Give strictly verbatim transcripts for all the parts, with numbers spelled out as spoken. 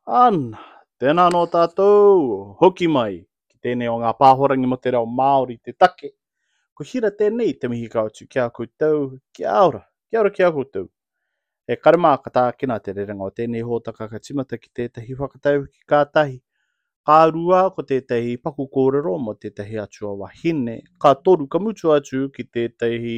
Ana, tēnā anō tātou, hoki mai ki tēnei o ngā pāhorangi mō te reo Māori te take. Ko Hira tēnei te mihi kau atu ki a koutou, kia ora, kia ora ki a koutou. E kare mā ka tākina te rerenga o tēnei hōtaka ka tīmata ki tētahi whakataukī ka tahi, ka rua ko tētahi paku kōrero mō tētahi atua wahine, ka toru ka mutu atu ki tētahi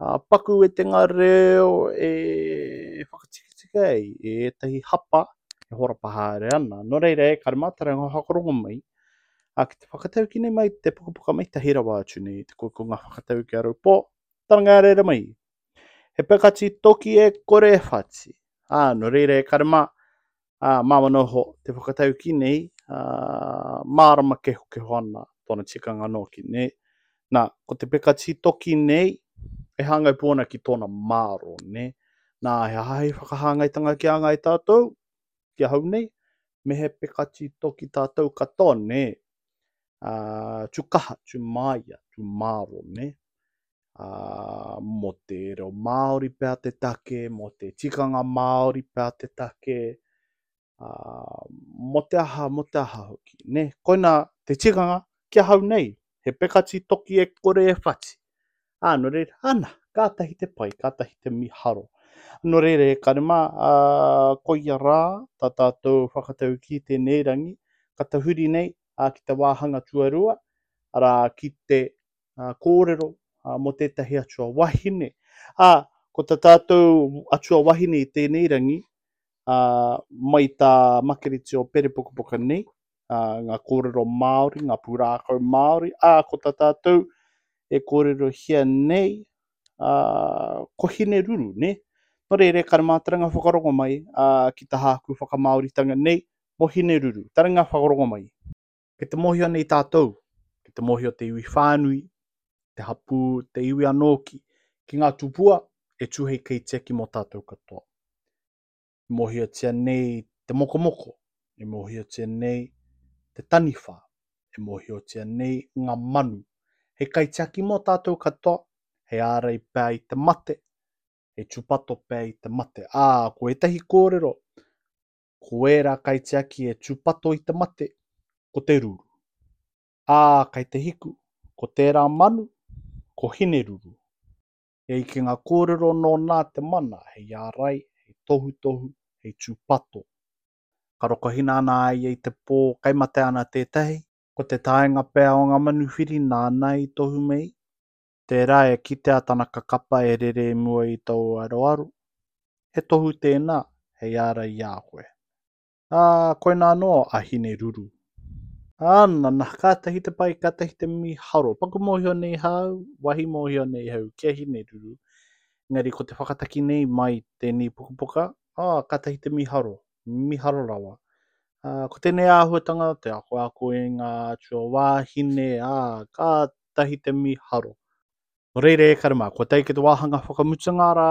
uh, paku wetenga reo e whakatikatika ai e ētahi hapa e horapa haere ana. Nō reira e kare mā, taringa whakarongo mai, a ki te whakataukī nei mai te pukapuka mai tahi rawa atu nei, te kokonga whakataukī a Raupō, taranga reira mai. He pekati toki e kore e whati. Ā, nō reira e kare mā, ā, māma noho te whakataukī nei, ā, mārama kehokeho ana tōna tikanga nōki nei. Nā, ko te pekati toki nei, e hāngai pū ana ki tōna māro, ne? Nā, he aha hei whakahāngaitanga ki a ngai tātou, ki ahau nei, me he pekati toki tātou katoa, ne? Ā, tū kaha, tū māia, tū māro, ne? Ā, mō te reo Māori pea te take, mō te tikanga Māori pea te take, ā, mō te aha, mō te aha hoki, ne? Koinā te tikanga ki ahau nei, he pekati toki e kore e whati. Ā, nō reira, ana, kātahi te pai, kātahi te miharo. Nō reira, e kare mā, ā, koia rā, tā tātou whakataukī tēnei rangi, ka tahuri nei ā, ki te wāhanga tuarua, arā, ki te ā, kōrero ā, mō tētahi atua wahine. Ā, ko tā tātou atua wahine i tēnei rangi, ā, mai tā Makereti o Perepukapuka nei, ā, ngā kōrero Māori, ngā pūrākau Māori, ā, ko tā tātou e kōrerohia nei, ā, ko Hineruru, ne? Nō reira, e kare mā taringa whakarongo mai, ā, ki tā hāku whakamāoritanga nei, mō Hineruru. Taringa whakarongo mai. Kei te mōhio nei tātou, kei te mōhio te iwi whānui, te hapū, te iwi anōki, ki ngā tupua e tū hei kaitiaki mō tātou katoa. E mōhiotia nei te mokomoko, e mōhiotia nei te taniwha, e mōhiotia nei ngā manu. Hei kaitiaki mō tātou katoa, hei ārai pea i te mate, hei tūpato pea i te mate. Ā, ko ētahi kōrero, ko ērā kaitiaki e tūpato i te mate, ko te ruru. Ā, kei te hiku, ko tērā manu, ko Hineruru. E ai ki ngā kōrero nō nā te mana, hei ārai, hei tohutohu, hei tūpato. Ka rokohina ana a ia i te pō, kai mate ana tētahi, ko te taenga pea o ngā manuwhiri nāna i tohu mei. Tērā e kitea tana kakapa e rere i mua i tōu aroaro. He tohu tēnā, hei ārai i a koe. Ā, koinā anō a Hineruru. Ā, nana, kātahi te pai, kātahi te miharo. Paku mōhio nei hau, wahi mōhio nei hau, ki a Hineruru. Engari ko te whakataki nei mai tēnei pukapuka, ā, kātahi te miharo, miharo rawa. Ā, ko tēnei āhuatanga, te ako ako i ngā atua wāhine, ā, kātahi te miharo. Nō reira e kare mā, kua tae ki te wāhanga whakamutunga rā,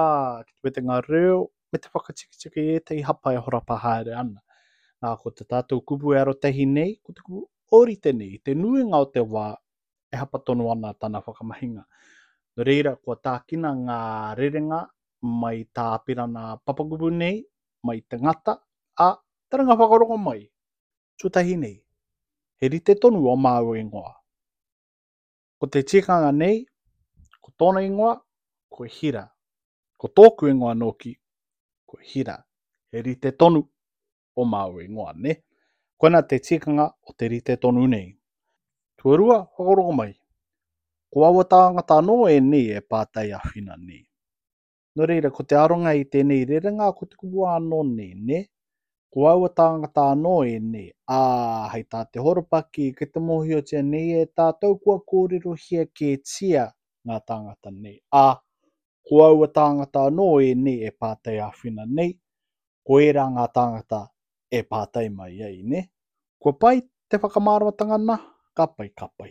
ki te wetenga reo, me te whakatikatika i ētahi hapa e horapa haere ana. Nā, ko te tātou kupu e arotahi nei, ko te kupu ōrite nei, te nuinga o te wā e hapa tonu ana tana whakamahinga. Nō reira, kua tākina ngā rerenga mai tā Apirana papakupu nei, mai te ngata, ā, taranga whakarongo mai. Tuatahi nei, he rite tonu o māua ingoa. Ko te tikanga nei, ko tōna ingoa, ko Hira. Ko tōku ingoa nōki, ko Hira. He rite tonu o māua ingoa, ne? Koina te tikanga o te rite tonu nei. Tuarua, whakarongo mai. Ko aua tāngata anō ēnei e pātai āwhina nei. Nō reira, ko te aronga i tēnei rerenga, ko te kupu anō nei, ne? Ko aua tāngata anō ēnei, ā, hei tā te horopaki, kei te mōhiotia nei e tātou kua kōrerohia kētia ngā tāngata nei. Ā, ko aua tāngata anō ēnei e pātai āwhina nei, ko ērā ngā tāngata e pātai mai ai, ne? Kua pai te whakamāramatanga nā? Ka pai, ka pai.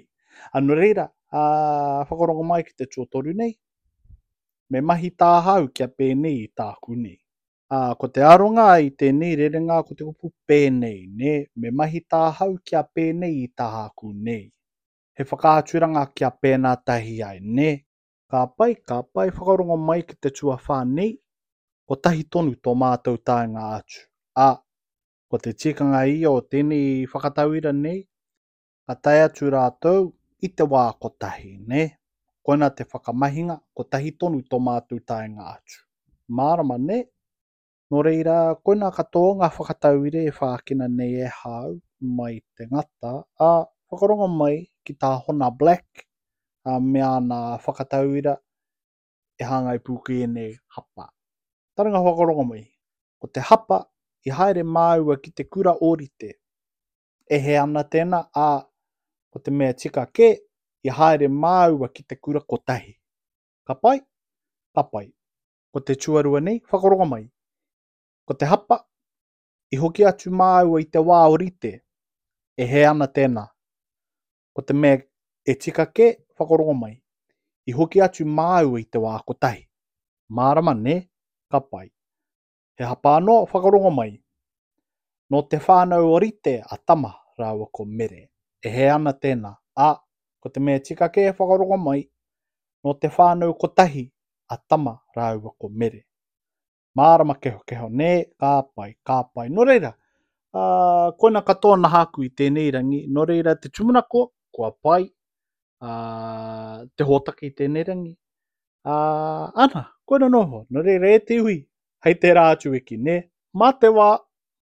Ā, nō reira, ā, whakarongo mai ki te tuatoru nei, me mahi tāhau kia pēnei i tāku nei. Ā, ko te aronga i tēnei rerenga ko te kupu pēnei, ne? Me mahi tāhau kia pēnei i tāku nei. He whakaaturanga kia pēnā tahi ai, ne? Ka pai, ka pai, whakarongo mai ki te tuawhā nei, kotahi tonu tō mātou taenga atu. Ā, Ko te tikanga ia o tēnei whakatauira nei, ka tae atu rātou i te wā kotahi, nē? Koina te whakamahinga, kotahi tonu tō mātou taenga atu. Mārama, nē? Nō reira, koina katoa ngā whakatauira e whākina nei e hau mai te ngata, ā, whakarongo mai ki tā Hona Black ā, me āna whakatauira e hāngai pū ki ēnei hapa. Taringa whakarongo mai. Ko te hapa, i haere māua ki te kura ōrite. E hē ana tēnā, ā, ko te mea tika kē, i haere māua ki te kura kotahi. Ka pai? Ka pai. Ko te tuarua nei, whakarongo mai. Ko te hapa, i hoki atu māua i te wā ōrite. E hē ana tēnā. Ko te mea e tika kē, whakarongo mai. I hoki atu māua i te wā kotahi. Mārama, nē? Ka pai. He hapa anō, whakarongo mai. Nō te whānau ōrite a Tama rāua ko Mere. E hē ana tēnā, ā, ko te mea tika kē whakarongo mai, nō te whānau kotahi a Tama rāua ko Mere. Mārama kehokeho, nē, ka pai, ka pai. Nō reira, ā, koina katoa nāku i tēnei rangi, nō reira te tūmanako, kua pai, ā, te hōtaka i tēnei rangi. Ā, ana, koina noho, nō reira e te iwi, hei tērā atu wiki, nē, mā te wā!